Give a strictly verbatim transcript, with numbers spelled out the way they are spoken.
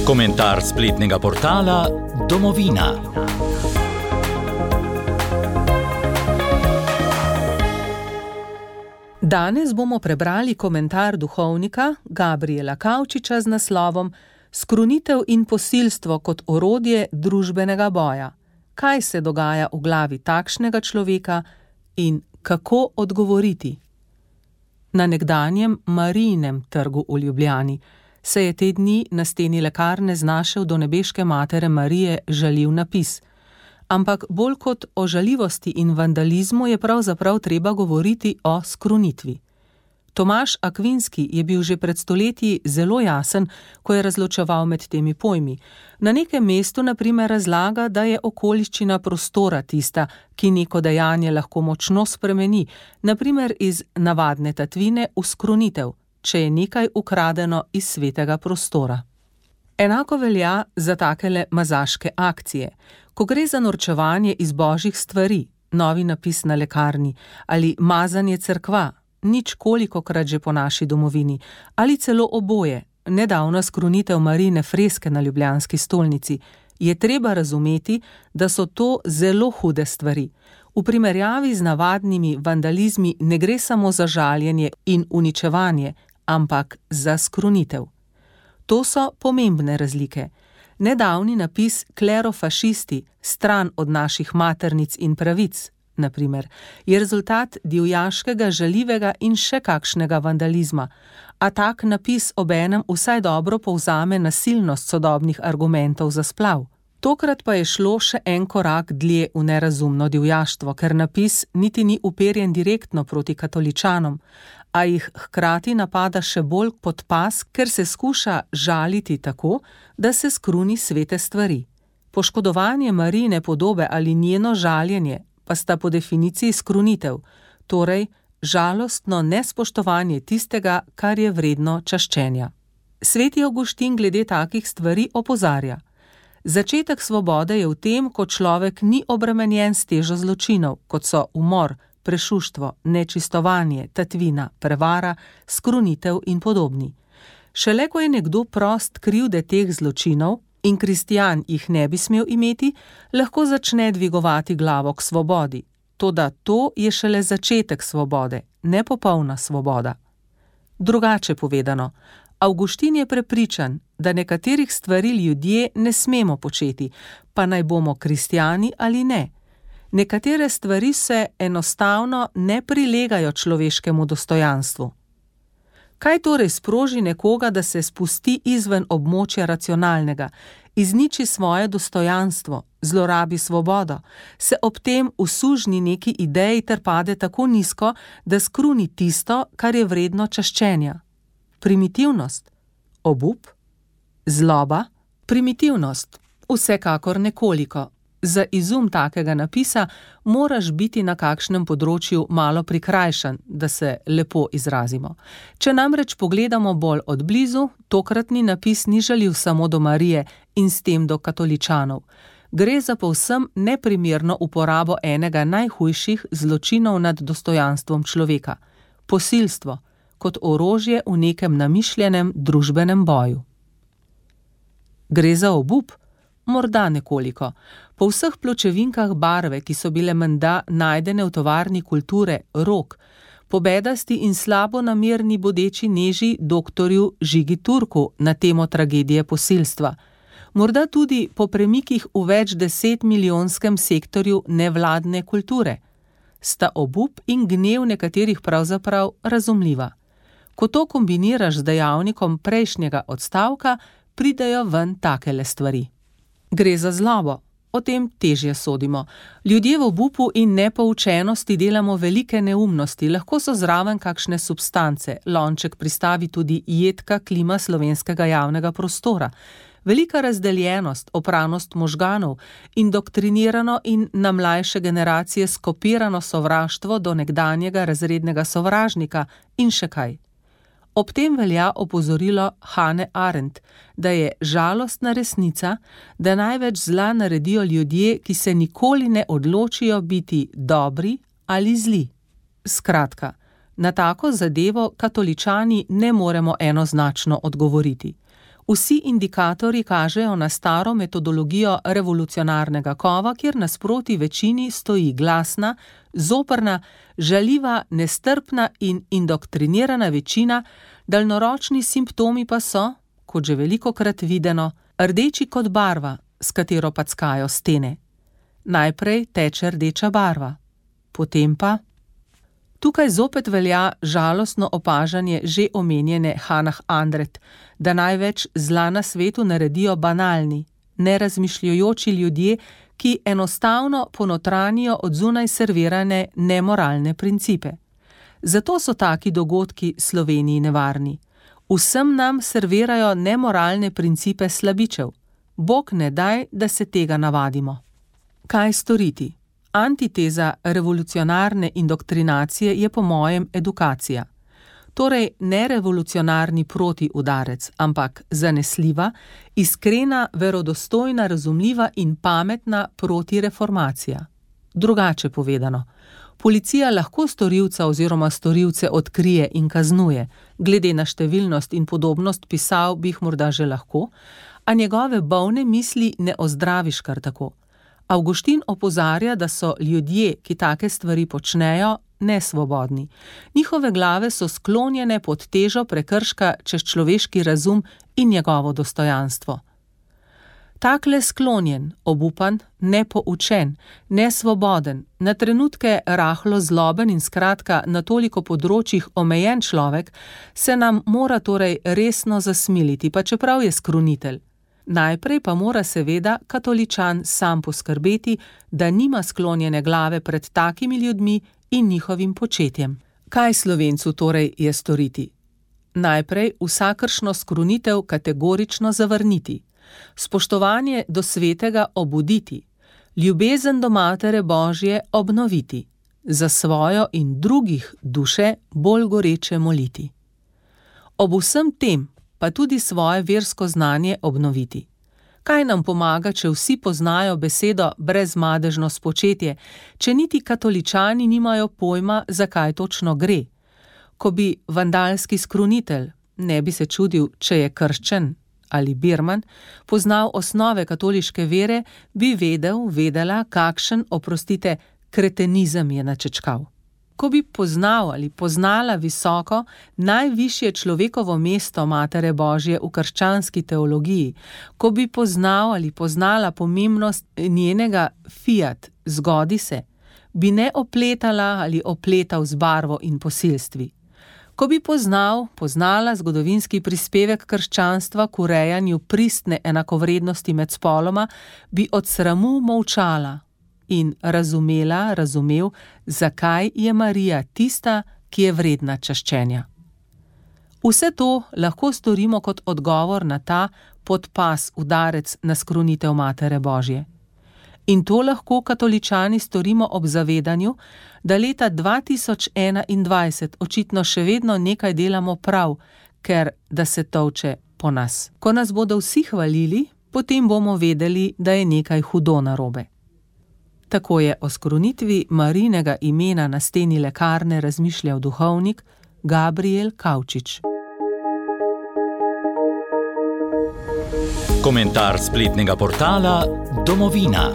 Komentar spletnega portala Domovina. Danes bomo prebrali komentar duhovnika Gabriela Kavčiča z naslovom Skrunitev in posilstvo kot orodje družbenega boja. Kaj se dogaja v glavi takšnega človeka in kako odgovoriti? Na nekdanjem Marijinem trgu v Ljubljani se je te dni na steni lekarne znašel do nebeške matere Marije žaljiv napis. Ampak bolj kot o žaljivosti in vandalizmu je pravzaprav treba govoriti o skrunitvi. Tomaž Akvinski je bil že pred stoletji zelo jasen, ko je razločeval med temi pojmi. Na nekem mestu na primer razlaga, da je okoliščina prostora tista, ki neko dejanje lahko močno spremeni, na primer iz navadne tatvine v skrunitev, če je nekaj ukradeno iz svetega prostora. Enako velja za takele mazaške akcije. Ko gre za norčevanje iz božjih stvari, novi napis na lekarni, ali mazanje cerkva, nič kolikokrat že po naši domovini, ali celo oboje, nedavna skrunitev Marijine freske na ljubljanski stolnici, je treba razumeti, da so to zelo hude stvari. V primerjavi z navadnimi vandalizmi ne gre samo za žaljenje in uničevanje, ampak za skrunitev. To so pomembne razlike. Nedavni napis klerofašisti, stran od naših maternic in pravic, na primer, je rezultat divjaškega, žaljivega in še kakšnega vandalizma, a tak napis obenem vsaj dobro povzame nasilnost sodobnih argumentov za splav. Tokrat pa je šlo še en korak dlje v nerazumno divjaštvo, ker napis niti ni uperjen direktno proti katoličanom, a jih hkrati napada še bolj pod pas, ker se skuša žaliti tako, da se skruni svete stvari. Poškodovanje Marijine podobe ali njeno žaljenje pa sta po definiciji skrunitev, torej žalostno nespoštovanje tistega, kar je vredno čaščenja. Sveti Avguštin glede takih stvari opozarja. Začetek svobode je v tem, ko človek ni obremenjen s težo zločinov, kot so umor, prešuštvo, nečistovanje, tatvina, prevara, skrunitev in podobni. Šele ko je nekdo prost krivde teh zločinov in kristjan jih ne bi smel imeti, lahko začne dvigovati glavo k svobodi. Toda to je šele začetek svobode, ne popolna svoboda. Drugače povedano, Avguštin je prepričan, da nekaterih stvari ljudje ne smemo početi, pa naj bomo kristjani ali ne. Nekatere stvari se enostavno ne prilegajo človeškemu dostojanstvu. Kaj torej sproži nekoga, da se spusti izven območja racionalnega, izniči svoje dostojanstvo, zlorabi svobodo, se ob tem usužni neki ideji ter pade tako nizko, da skruni tisto, kar je vredno čaščenja? Primitivnost? Obup? Zloba? Primitivnost? Vsekakor nekoliko. Za izum takega napisa moraš biti na kakšnem področju malo prikrajšan, da se lepo izrazimo. Če namreč pogledamo bolj od blizu, tokratni napis ni žaljiv samo do Marije in s tem do katoličanov. Gre za povsem neprimerno uporabo enega najhujših zločinov nad dostojanstvom človeka – posilstvo, kot orožje v nekem namišljenem družbenem boju. Gre za obup? Morda nekoliko. Po vseh pločevinkah barve, ki so bile menda najdene v tovarni kulture Rok, po bedasti in slabo namerni bodeči neži doktorju Žigi Turku na temo tragedije posilstva, morda tudi po premikih v več deset milijonskem sektorju nevladne kulture, sta obup in gnev nekaterih pravzaprav razumljiva. Ko to kombiniraš z dejavnikom prejšnjega odstavka, pridejo ven takele stvari. Gre za zlobo, o tem težje sodimo. Ljudje v obupu in nepoučenosti delamo velike neumnosti, lahko so zraven kakšne substance, lonček pristavi tudi jedka klima slovenskega javnega prostora, velika razdeljenost, opranost možganov, indoktrinirano in na mlajše generacije skopirano sovraštvo do nekdanjega razrednega sovražnika in še kaj. Ob tem velja opozorilo Hane Arendt, da je žalostna resnica, da največ zla naredijo ljudje, ki se nikoli ne odločijo biti dobri ali zli. Skratka, na tako zadevo katoličani ne moremo enoznačno odgovoriti. Vsi indikatorji kažejo na staro metodologijo revolucionarnega kova, kjer nasproti večini stoji glasna, zoprna, žaljiva, nestrpna in indoktrinirana večina, daljnoročni simptomi pa so, kot že velikokrat videno, rdeči kot barva, s katero packajo stene. Najprej teče rdeča barva, potem pa... Tukaj zopet velja žalostno opažanje že omenjene Hannah Arendt, da največ zla na svetu naredijo banalni, nerazmišljujoči ljudje, ki enostavno ponotranijo od zunaj servirane nemoralne principe. Zato so taki dogodki Sloveniji nevarni. Vsem nam servirajo nemoralne principe slabičev. Bog ne daj, da se tega navadimo. Kaj storiti? Antiteza revolucionarne indoktrinacije je po mojem edukacija. Torej ne revolucionarni protiudarec, ampak zanesljiva, iskrena, verodostojna, razumljiva in pametna protireformacija. Drugače povedano, policija lahko storilca oziroma storilce odkrije in kaznuje, glede na številnost in podobnost pisav bi jih morda že lahko, a njegove bolne misli ne ozdraviš kar tako. Avguštin opozarja, da so ljudje, ki take stvari počnejo, nesvobodni. Njihove glave so sklonjene pod težo prekrška čez človeški razum in njegovo dostojanstvo. Takle sklonjen, obupan, nepoučen, nesvoboden, na trenutke rahlo zloben in skratka na toliko področjih omejen človek se nam mora torej resno zasmiliti, pa čeprav je skrunitelj. Najprej pa mora seveda katoličan sam poskrbeti, da nima sklonjene glave pred takimi ljudmi in njihovim početjem. Kaj Slovencu torej je storiti? Najprej vsakršno skrunitev kategorično zavrniti, spoštovanje do svetega obuditi, ljubezen do Matere Božje obnoviti, za svojo in drugih duše bolj goreče moliti. Ob vsem tem pa tudi svoje versko znanje obnoviti. Kaj nam pomaga, če vsi poznajo besedo brezmadežno spočetje, če niti katoličani nimajo pojma, zakaj točno gre? Ko bi vandalski skrunitelj, ne bi se čudil, če je krščen ali birman, poznal osnove katoliške vere, bi vedel, vedela, kakšen, oprostite, kretenizem je načečkal. Ko bi poznal ali poznala visoko, najvišje človekovo mesto Matere Božje v krščanski teologiji, ko bi poznal ali poznala pomembnost njenega fiat, zgodi se, bi ne opletala ali opletal z barvo in posilstvi. Ko bi poznal, poznala zgodovinski prispevek krščanstva k urejanju pristne enakovrednosti med spoloma, bi od sramu molčala in razumela, razumel, zakaj je Marija tista, ki je vredna čaščenja. Vse to lahko storimo kot odgovor na ta podpas udarec na skrunitev Matere Božje. In to lahko katoličani storimo ob zavedanju, da leta dva tisoč enaindvajset očitno še vedno nekaj delamo prav, ker da se tolče po nas. Ko nas bodo vsi hvalili, potem bomo vedeli, da je nekaj hudo narobe. Tako je o skrunitvi Marijinega imena na steni lekarne razmišljal duhovnik Gabriel Kavčič. Komentar spletnega portala Domovina.